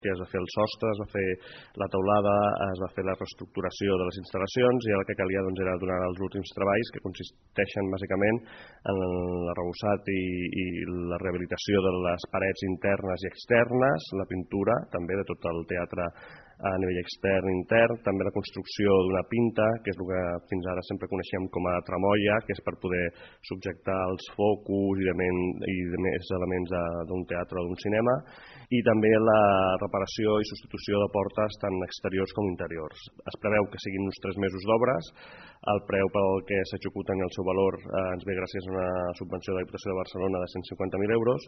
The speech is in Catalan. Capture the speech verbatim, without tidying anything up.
que es va fer el sostre, es va fer la teulada, es va fer la reestructuració de les instal·lacions i el que calia doncs, era donar els últims treballs que consisteixen bàsicament en l'arrebossat i, i la rehabilitació de les parets internes i externes, la pintura també de tot el teatre a nivell extern i intern, també la construcció d'una pinta, que és el que fins ara sempre coneixem com a tramoia, que és per poder subjectar els focus i de, men, i de més elements d'un teatre o d'un cinema, i també la reparació i substitució de portes tant exteriors com interiors. Es preveu que siguin uns tres mesos d'obres, el preu pel que s'executen i el seu valor eh, ens ve gràcies a una subvenció de la Diputació de Barcelona de cent cinquanta mil euros.